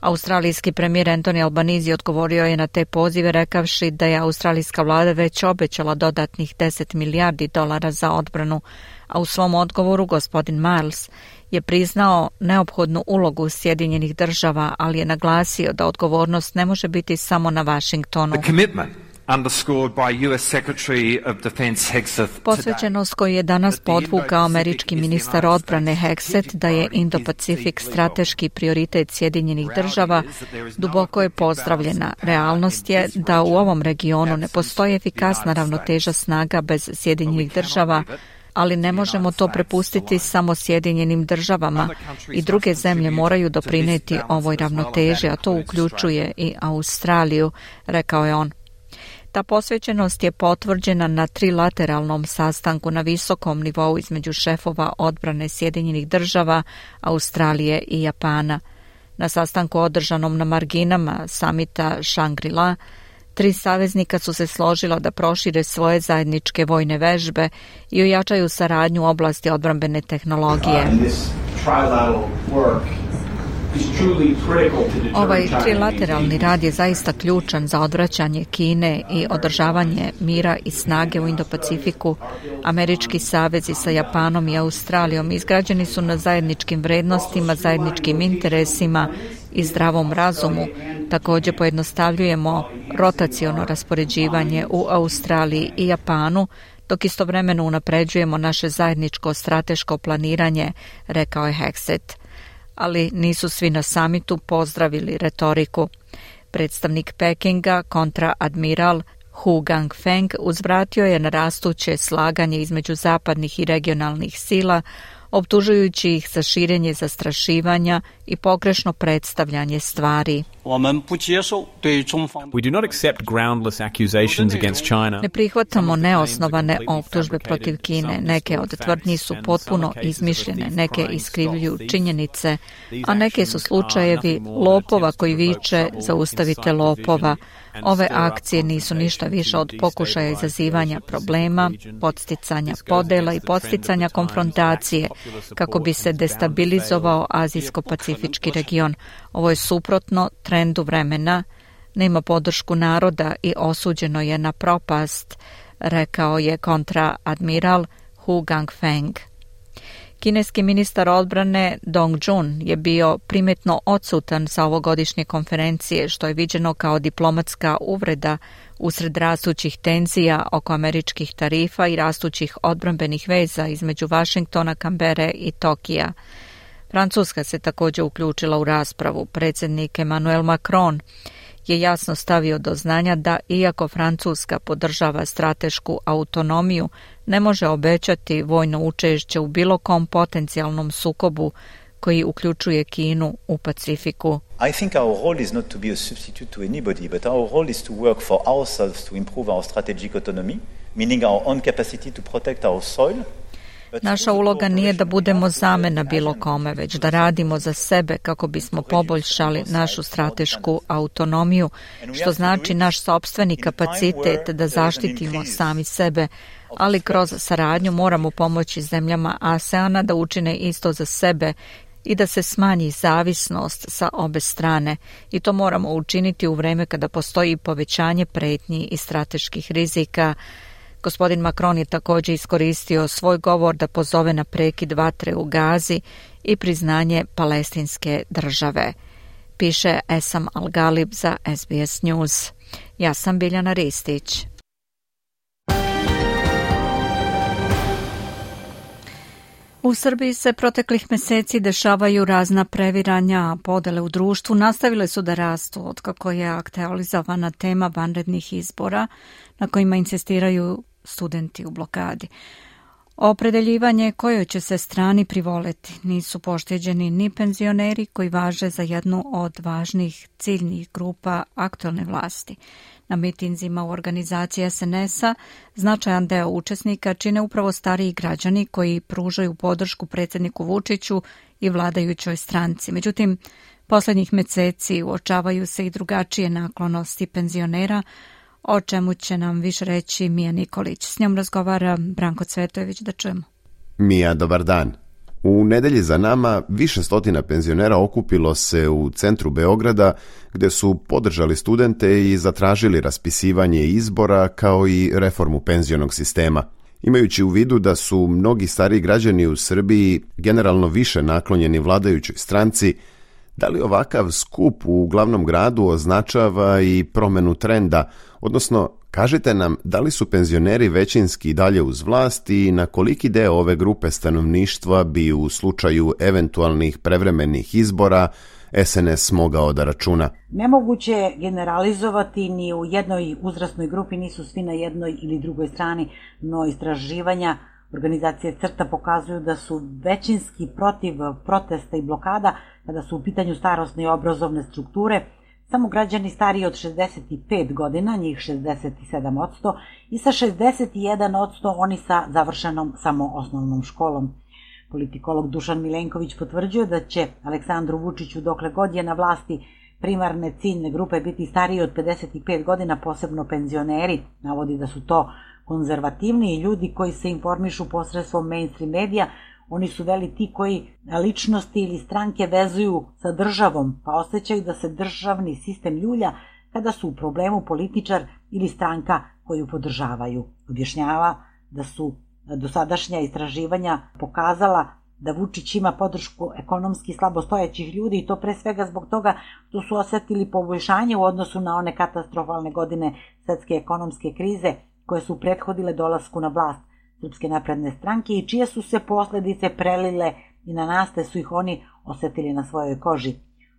Australijski premijer Anthony Albanese odgovorio je na te pozive rekavši da je australijska vlada već obećala dodatnih deset milijardi dolara za odbranu, a u svom odgovoru gospodin Miles je priznao neophodnu ulogu Sjedinjenih država, ali je naglasio da odgovornost ne može biti samo na Washingtonu. Posvećenost koju je danas podvukao američki ministar odbrane Hegseth da je Indo-Pacifik strateški prioritet Sjedinjenih država duboko je pozdravljena. Realnost je da u ovom regionu ne postoji efikasna ravnoteža snaga bez Sjedinjenih država, ali ne možemo to prepustiti samo Sjedinjenim državama i druge zemlje moraju doprinijeti ovoj ravnoteži, a to uključuje i Australiju, rekao je on. Ta posvećenost je potvrđena na trilateralnom sastanku na visokom nivou između šefova odbrane Sjedinjenih država, Australije i Japana. Na sastanku održanom na marginama samita Shangri-La, tri saveznika su se složila da prošire svoje zajedničke vojne vežbe i ojačaju saradnju u oblasti odbrambene tehnologije. Ovaj trilateralni rad je zaista ključan za odvraćanje Kine i održavanje mira i snage u Indo-Pacifiku. Američki savezi sa Japanom i Australijom izgrađeni su na zajedničkim vrednostima, zajedničkim interesima i zdravom razumu. Također pojednostavljujemo rotaciono raspoređivanje u Australiji i Japanu, dok istovremeno unapređujemo naše zajedničko strateško planiranje, rekao je Hegseth. Ali nisu svi na samitu pozdravili retoriku. Predstavnik Pekinga, kontraadmiral Hu Gangfeng, uzvratio je na rastuće slaganje između zapadnih i regionalnih sila, optužujući ih za širenje zastrašivanja i pogrešno predstavljanje stvari. We do not accept groundless accusations against China. Ne prihvatamo neosnovane optužbe protiv Kine. Neke od tvrdnji su potpuno izmišljene, neke iskrivljuju činjenice, a neke su slučajevi lopova koji viče zaustavite lopova. Ove akcije nisu ništa više od pokušaja izazivanja problema, podsticanja podela i podsticanja konfrontacije kako bi se destabilizovao azijsko-pacifički region. Ovo je suprotno trendu vremena, nema podršku naroda i osuđeno je na propast, rekao je kontraadmiral Hu Gangfeng. Kineski ministar odbrane Dong Jun je bio primetno odsutan sa ovogodišnje konferencije, što je viđeno kao diplomatska uvreda usred rastućih tenzija oko američkih tarifa i rastućih odbrambenih veza između Vašingtona, Kambere i Tokija. Francuska se također uključila u raspravu. Predsjednik Emmanuel Macron je jasno stavio do znanja da, iako Francuska podržava stratešku autonomiju, ne može obećati vojno učešće u bilo kom potencijalnom sukobu koji uključuje Kinu u Pacifiku. I think our role is not to be a substitute to anybody, but our role is to work for ourselves to improve our strategic autonomy, meaning our own capacity to protect our soil. Naša uloga nije da budemo zamena bilo kome, već da radimo za sebe kako bismo poboljšali našu stratešku autonomiju, što znači naš sopstveni kapacitet da zaštitimo sami sebe, ali kroz saradnju moramo pomoći zemljama ASEANA da učine isto za sebe i da se smanji zavisnost sa obe strane. I to moramo učiniti u vreme kada postoji povećanje pretnji i strateških rizika. Gospodin Macron je također iskoristio svoj govor da pozove na prekid vatre u Gazi i priznanje palestinske države. Piše Esam Al-Galib za S B S News. Ja sam Biljana Ristić. U Srbiji se proteklih meseci dešavaju razna previranja, a podele u društvu nastavile su da rastu otkako je aktualizovana tema vanrednih izbora na kojima insistiraju studenti u blokadi. Opredeljivanje kojoj će se strani privoleti nisu pošteđeni ni penzioneri koji važe za jednu od važnih ciljnih grupa aktualne vlasti. Na mitinzima u organizaciji S N S-a značajan deo učesnika čine upravo stariji građani koji pružaju podršku predsjedniku Vučiću i vladajućoj stranci. Međutim, posljednjih meseci uočavaju se i drugačije naklonosti penzionera, o čemu će nam više reći Mija Nikolić. S njom razgovara Branko Cvetojević, da čujemo. Mija, dobar dan. U nedelji za nama više stotina penzionera okupilo se u centru Beograda gde su podržali studente i zatražili raspisivanje izbora kao i reformu penzionog sistema. Imajući u vidu da su mnogi stariji građani u Srbiji generalno više naklonjeni vladajućoj stranci, da li ovakav skup u glavnom gradu označava i promenu trenda, odnosno kažite nam da li su penzioneri većinski dalje uz vlast i na koliki deo ove grupe stanovništva bi u slučaju eventualnih prevremenih izbora S N S mogao da računa? Nemoguće je generalizovati, ni u jednoj uzrasnoj grupi nisu svi na jednoj ili drugoj strani, no istraživanja organizacije CRTA pokazuju da su većinski protiv protesta i blokada kada su u pitanju starosne i obrazovne strukture. Samo građani stariji od šezdeset pet godina, njih šezdeset sedam posto, i sa šezdeset jedan posto oni sa završenom samo osnovnom školom. Politikolog Dušan Milenković potvrđuje da će Aleksandru Vučiću dokle god je na vlasti primarne ciljne grupe biti stariji od pedeset pet godina, posebno penzioneri. Navodi da su to konzervativni ljudi koji se informišu posredstvom mainstream medija. Oni su veli ti koji ličnosti ili stranke vezuju sa državom, pa osjećaju da se državni sistem ljulja kada su u problemu političar ili stranka koju podržavaju. Objašnjava da su dosadašnja istraživanja pokazala da Vučić ima podršku ekonomski slabostojećih ljudi i to pre svega zbog toga što su osjetili poboljšanje u odnosu na one katastrofalne godine svetske ekonomske krize koje su prethodile dolasku na vlast Srpske napredne stranke i čije su se posljedice prelile i na nas, te su ih oni osjetili na svojoj koži.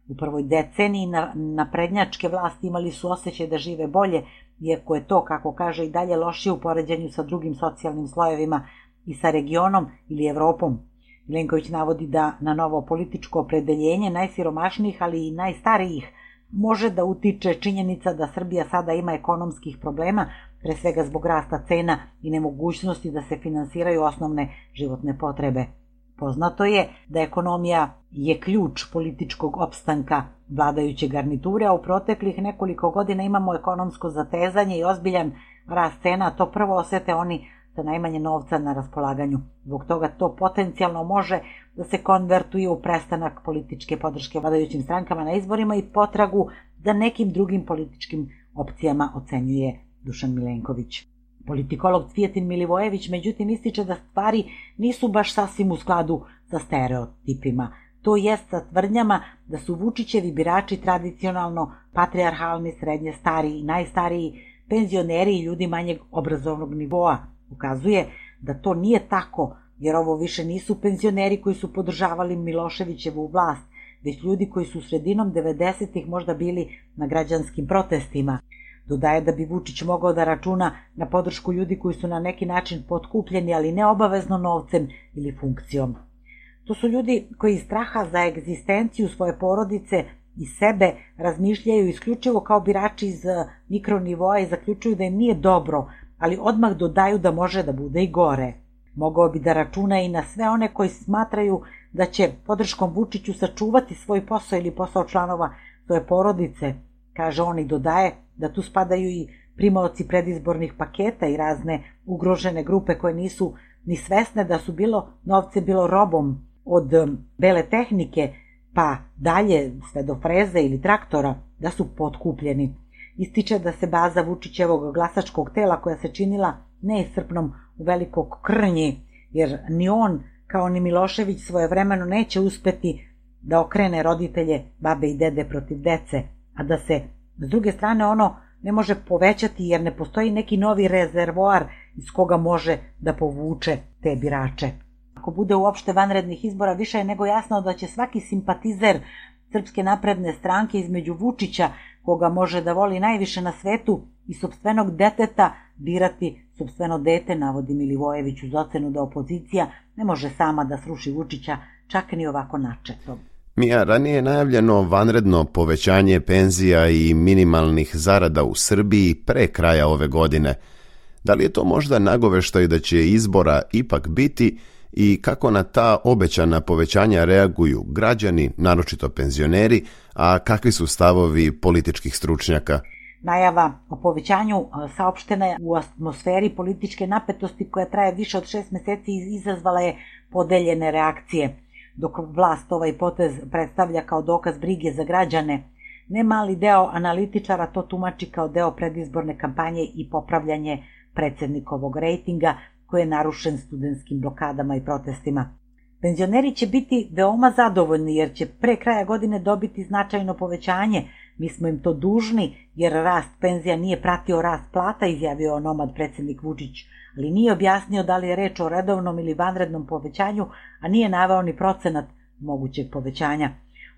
U prvoj deceniji naprednjačke vlasti imali su osjećaj da žive bolje, iako je to, kako kaže, i dalje lošije u poređenju sa drugim socijalnim slojevima i sa regionom ili Evropom. Milenković navodi da na novo političko opredeljenje najsiromašnijih, ali i najstarijih može da utiče činjenica da Srbija sada ima ekonomskih problema, pre svega zbog rasta cena i nemogućnosti da se finansiraju osnovne životne potrebe. Poznato je da ekonomija je ključ političkog opstanka vladajuće garniture, a u proteklih nekoliko godina imamo ekonomsko zatezanje i ozbiljan rast cena, to prvo osete oni sa najmanje novca na raspolaganju. Zbog toga to potencijalno može da se konvertuje u prestanak političke podrške vladajućim strankama na izborima i potragu za nekim drugim političkim opcijama, ocenjuje Dušan Milenković. Politikolog Cvijetin Milivojević međutim ističe da stvari nisu baš sasvim u skladu sa stereotipima. To jest sa tvrdnjama da su Vučićevi birači tradicionalno patrijarhalni, srednje stariji i najstariji, penzioneri i ljudi manjeg obrazovnog nivoa. Ukazuje da to nije tako, jer ovo više nisu penzioneri koji su podržavali Miloševićevu vlast, već ljudi koji su sredinom devedesetih možda bili na građanskim protestima. Dodaje da bi Vučić mogao da računa na podršku ljudi koji su na neki način potkupljeni, ali ne obavezno novcem ili funkcijom. To su ljudi koji iz straha za egzistenciju svoje porodice i sebe razmišljaju isključivo kao birači iz mikronivoa i zaključuju da im nije dobro, ali odmah dodaju da može da bude i gore. Mogao bi da računa i na sve one koji smatraju da će podrškom Vučiću sačuvati svoj posao ili posao članova svoje porodice. Kaže on i dodaje da tu spadaju i primaoci predizbornih paketa i razne ugrožene grupe koje nisu ni svesne da su bilo novce, bilo robom, od bele tehnike pa dalje sve do freze ili traktora, da su potkupljeni. Ističe da se baza Vučićevog glasačkog tela, koja se činila neiscrpnom u Velikog Krnji, jer ni on kao ni Milošević svojevremeno neće uspeti da okrene roditelje, babe i dede protiv dece, a da se s druge strane ono ne može povećati jer ne postoji neki novi rezervoar iz koga može da povuče te birače. Ako bude uopšte vanrednih izbora, više je nego jasno da će svaki simpatizer Srpske napredne stranke između Vučića, koga može da voli najviše na svetu, i sopstvenog deteta birati sopstveno dete, navodi Milivojević uz ocenu da opozicija ne može sama da sruši Vučića, čak ni ovako načetom. Mija, ranije je najavljeno vanredno povećanje penzija i minimalnih zarada u Srbiji pre kraja ove godine. Da li je to možda nagoveštaj da će izbora ipak biti i kako na ta obećana povećanja reaguju građani, naročito penzioneri, a kakvi su stavovi političkih stručnjaka? Najava o povećanju saopštena je u atmosferi političke napetosti koja traje više od šest meseci i izazvala je podeljene reakcije. Dok vlast ovaj potez predstavlja kao dokaz brige za građane, ne mali deo analitičara to tumači kao deo predizborne kampanje i popravljanje predsednikovog rejtinga koji je narušen studentskim blokadama i protestima. Penzioneri će biti veoma zadovoljni jer će pre kraja godine dobiti značajno povećanje. Mi smo im to dužni jer rast penzija nije pratio rast plata, izjavio onomad predsednik Vučić, ali nije objasnio da li je reč o redovnom ili vanrednom povećanju, a nije naveo ni procenat mogućeg povećanja.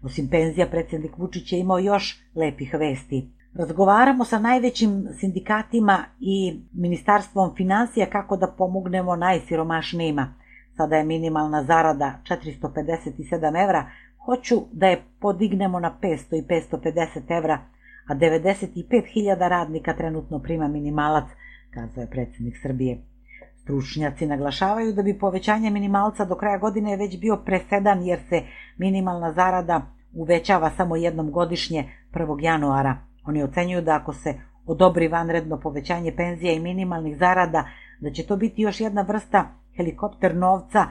Osim penzija, predsednik Vučić je imao još lepih vesti. Razgovaramo sa najvećim sindikatima i Ministarstvom finansija kako da pomognemo najsiromašnijima. Sada je minimalna zarada četiristo pedeset sedam evra, hoću da je podignemo na petsto i petsto pedeset evra, a devedeset pet hiljada radnika trenutno prima minimalac, kazao je predsednik Srbije. Stručnjaci naglašavaju da bi povećanje minimalca do kraja godine već bio presedan jer se minimalna zarada uvećava samo jednom godišnje prvog januara. Oni ocenjuju da ako se odobri vanredno povećanje penzija i minimalnih zarada, da će to biti još jedna vrsta helikopter novca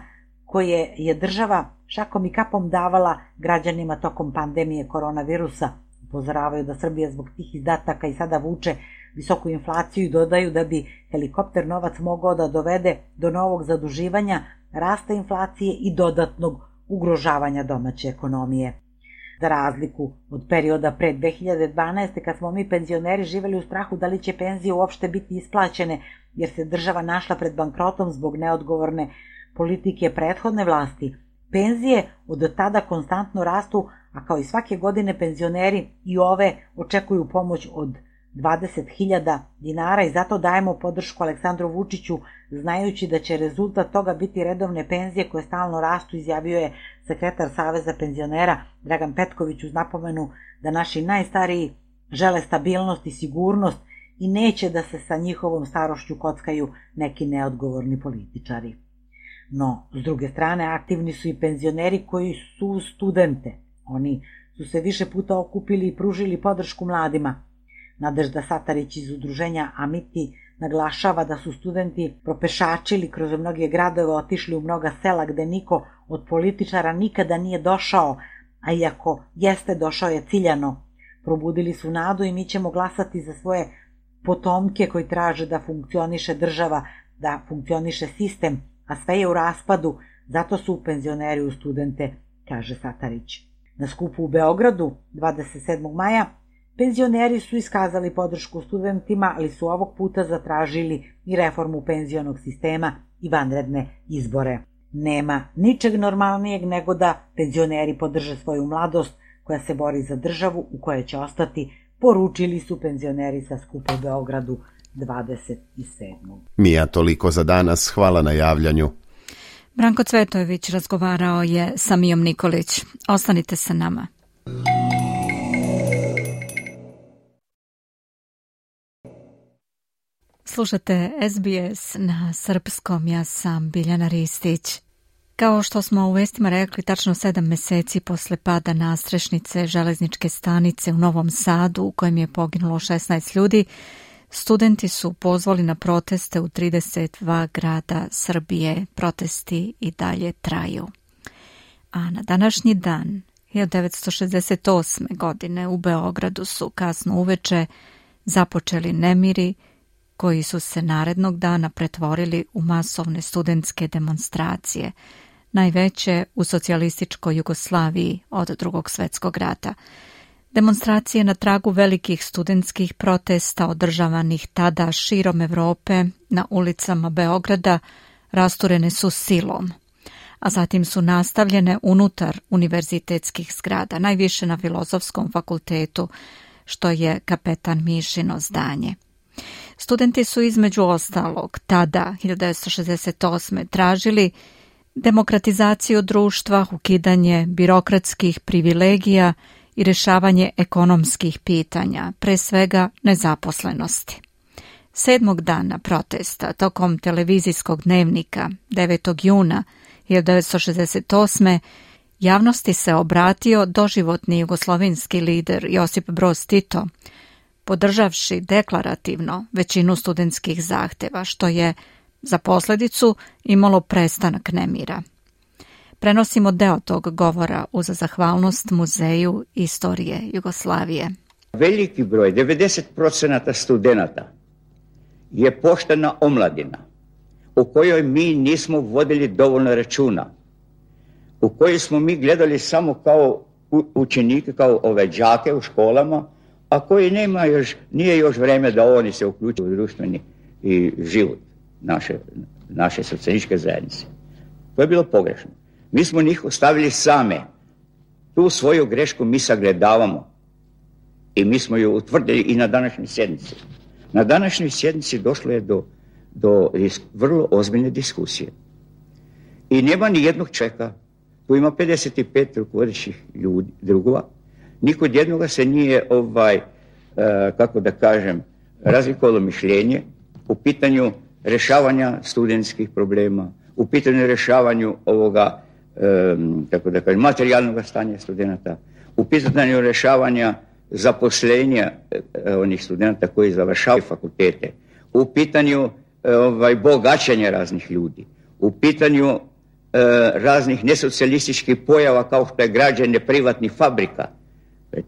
koje je država šakom i kapom davala građanima tokom pandemije koronavirusa. Upozoravaju da Srbija zbog tih izdataka i sada vuče visoku inflaciju i dodaju da bi helikopter novac mogao da dovede do novog zaduživanja, rasta inflacije i dodatnog ugrožavanja domaće ekonomije. Za razliku od perioda pre dve hiljade dvanaeste. kad smo mi penzioneri živeli u strahu da li će penzije uopšte biti isplaćene jer se država našla pred bankrotom zbog neodgovorne politike prethodne vlasti, penzije od tada konstantno rastu, a kao i svake godine penzioneri i ove očekuju pomoć od dvadeset hiljada dinara i zato dajemo podršku Aleksandru Vučiću, znajući da će rezultat toga biti redovne penzije koje stalno rastu, izjavio je sekretar Saveza penzionera Dragan Petković uz napomenu da naši najstariji žele stabilnost i sigurnost i neće da se sa njihovom starošću kockaju neki neodgovorni političari. No, s druge strane, aktivni su i penzioneri koji su studente. Oni su se više puta okupili i pružili podršku mladima. Nadežda Satarić iz udruženja Amiti naglašava da su studenti propešačili kroz mnoge gradove, otišli u mnoga sela gde niko od političara nikada nije došao, a iako jeste došao je ciljano. Probudili su nadu i mi ćemo glasati za svoje potomke koji traže da funkcioniše država, da funkcioniše sistem, a sve je u raspadu, zato su penzioneri u studente, kaže Satarić. Na skupu u Beogradu dvadeset sedmog maja penzioneri su iskazali podršku studentima, ali su ovog puta zatražili i reformu penzionog sistema i vanredne izbore. Nema ničeg normalnijeg nego da penzioneri podrže svoju mladost koja se bori za državu u kojoj će ostati, poručili su penzioneri sa skupa u Beogradu dvadeset sedmog Mija, toliko za danas, hvala na javljanju. Branko Cvetojević razgovarao je sa Mijom Nikolić. Ostanite sa nama. Slušate S B S na srpskom, ja sam Biljana Ristić. Kao što smo u vestima rekli, tačno sedam meseci posle pada nastrešnice železničke stanice u Novom Sadu, u kojem je poginulo šesnaest ljudi, studenti su pozvali na proteste u trideset dva grada Srbije. Protesti i dalje traju. A na današnji dan, hiljadu devetsto šezdeset osme. godine, u Beogradu su kasno uveče započeli nemiri koji su se narednog dana pretvorili u masovne studentske demonstracije, najveće u socijalističkoj Jugoslaviji od Drugog svjetskog rata. Demonstracije na tragu velikih studentskih protesta održavanih tada širom Evrope na ulicama Beograda rasturene su silom, a zatim su nastavljene unutar univerzitetskih zgrada, najviše na Filozofskom fakultetu, što je Kapetan Mišino zdanje. Studenti su između ostalog tada, hiljadu devetsto šezdeset osme. tražili demokratizaciju društva, ukidanje birokratskih privilegija i rješavanje ekonomskih pitanja, pre svega nezaposlenosti. Sedmog dana protesta tokom televizijskog dnevnika devetog juna hiljadu devetsto šezdeset osme. javnosti se obratio doživotni jugoslovenski lider Josip Broz Tito, podržavši deklarativno većinu studentskih zahteva, što je za posljedicu imalo prestanak nemira. Prenosimo deo tog govora uz zahvalnost Muzeju istorije Jugoslavije. Veliki broj, devedeset posto studenata, je poštena omladina u kojoj mi nismo vodili dovoljno računa, u kojoj smo mi gledali samo kao učenike, kao ove đake u školama, a koji nema još, nije još vreme da oni se uključe u društveni i život naše, naše socijalističke zajednice. To je bilo pogrešno. Mi smo njih ostavili same. Tu svoju grešku mi sagledavamo i mi smo ju utvrdili i na današnjoj sjednici. Na današnjoj sjednici došlo je do, do vrlo ozbiljne diskusije. I nema ni jednog čeka. Tu ima pedeset pet rukovodećih ljudi, drugova. Nikod jednoga se nije, ovaj, uh, kako da kažem, razlikovalo mišljenje u pitanju rješavanja studentskih problema, u pitanju rješavanju ovoga, um, kako da kažem, materijalnog stanja studenata, u pitanju rješavanja zaposlenja uh, onih studenta koji završavaju fakultete, u pitanju uh, ovaj, bogaćenja raznih ljudi, u pitanju uh, raznih nesocijalističkih pojava kao što je građenje privatnih fabrika.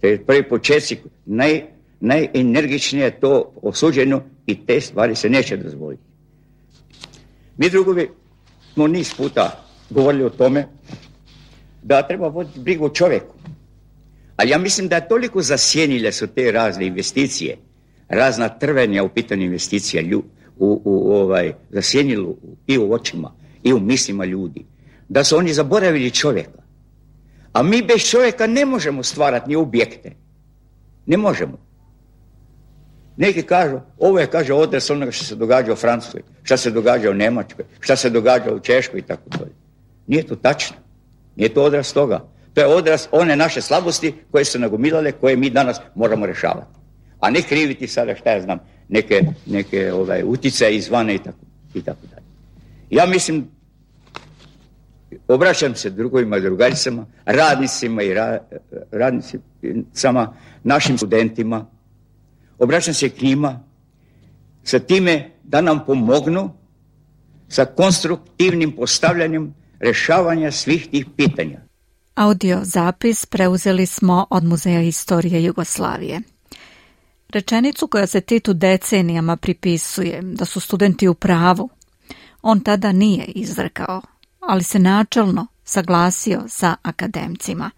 To je prvi početci, naj, najenergičnije je to osuđeno i te stvari se neće dozvoliti. Mi drugovi smo niz puta govorili o tome da treba voditi brigu o čovjeku. Ali ja mislim da je toliko zasjenile su te razne investicije, razna trvenja u pitanju investicija lju, u, u, ovaj, zasjenilo i u očima i u mislima ljudi, da su oni zaboravili čovjeka. A mi bez čovjeka ne možemo stvarati ni objekte. Ne možemo. Neki kažu, ovo je, kaže, odraz onoga što se događa u Francuskoj, što se događa u Njemačkoj, što se događa u Češkoj i tako dalje. Nije to tačno. Nije to odraz toga. To je odraz one naše slabosti koje su nagomilale, koje mi danas moramo rješavati. A ne kriviti sada, šta ja znam, neke, neke ovaj, uticaje izvane i tako, i tako dalje. Ja mislim, obraćam se drugovima i drugaricama, radnicima i ra, radnicima, našim studentima, obraćam se k njima sa time da nam pomognu sa konstruktivnim postavljanjem rješavanja svih tih pitanja. Audio zapis preuzeli smo od Muzeja istorije Jugoslavije. Rečenicu koja se Titu decenijama pripisuje, da su studenti u pravu, on tada nije izrekao, ali se načelno saglasio sa akademcima.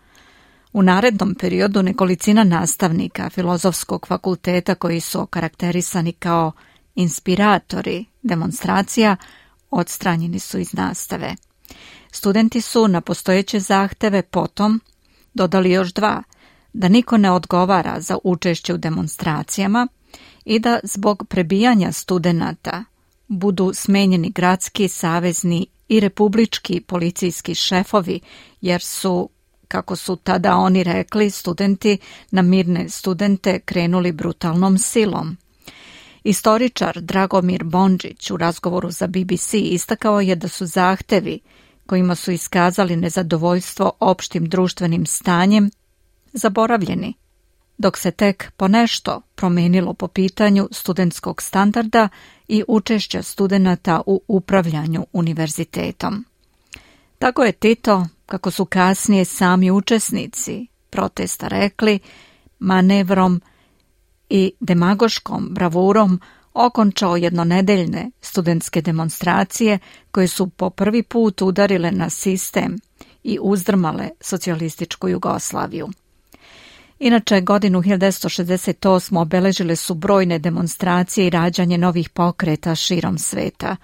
U narednom periodu nekolicina nastavnika Filozofskog fakulteta koji su okarakterisani kao inspiratori demonstracija odstranjeni su iz nastave. Studenti su na postojeće zahteve potom dodali još dva, da niko ne odgovara za učešće u demonstracijama i da zbog prebijanja studenata budu smenjeni gradski, savezni i republički policijski šefovi, jer su, kako su tada oni rekli, studenti na mirne studente krenuli brutalnom silom. Istoričar Dragomir Bondžić u razgovoru za B B C istakao je da su zahtevi kojima su iskazali nezadovoljstvo opštim društvenim stanjem zaboravljeni, dok se tek ponešto promenilo po pitanju studentskog standarda i učešća studenata u upravljanju univerzitetom. Tako je Tito, kako su kasnije sami učesnici protesta rekli, manevrom i demagoškom bravurom okončao jednonedeljne studentske demonstracije koje su po prvi put udarile na sistem i uzdrmale socijalističku Jugoslaviju. Inače, godinu hiljadu devetsto šezdeset osme. obeležile su brojne demonstracije i rađanje novih pokreta širom sveta.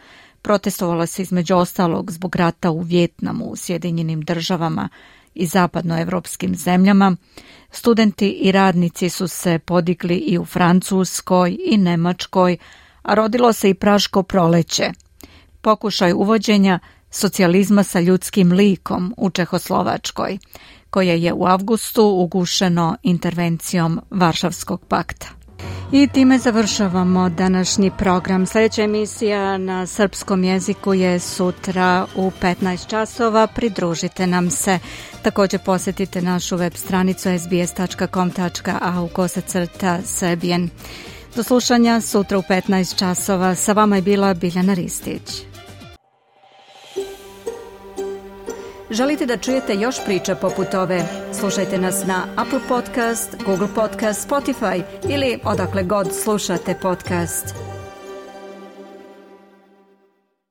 Protestovala se između ostalog zbog rata u Vjetnamu, u Sjedinjenim državama i zapadnoevropskim zemljama. Studenti i radnici su se podigli i u Francuskoj i Nemačkoj, a rodilo se i Praško proleće, pokušaj uvođenja socijalizma sa ljudskim likom u Čehoslovačkoj, koje je u avgustu ugušeno intervencijom Varšavskog pakta. I time završavamo današnji program. Sljedeća emisija na srpskom jeziku je sutra u petnaest časova. Pridružite nam se. Također posjetite našu web stranicu es be es tačka com tačka a u kosacrta Serbian. Do slušanja sutra u petnaest časova. Sa vama je bila Biljana Ristić. Želite da čujete još priča poput ove? Slušajte nas na Apple Podcast, Google Podcast, Spotify ili odakle god slušate podcast.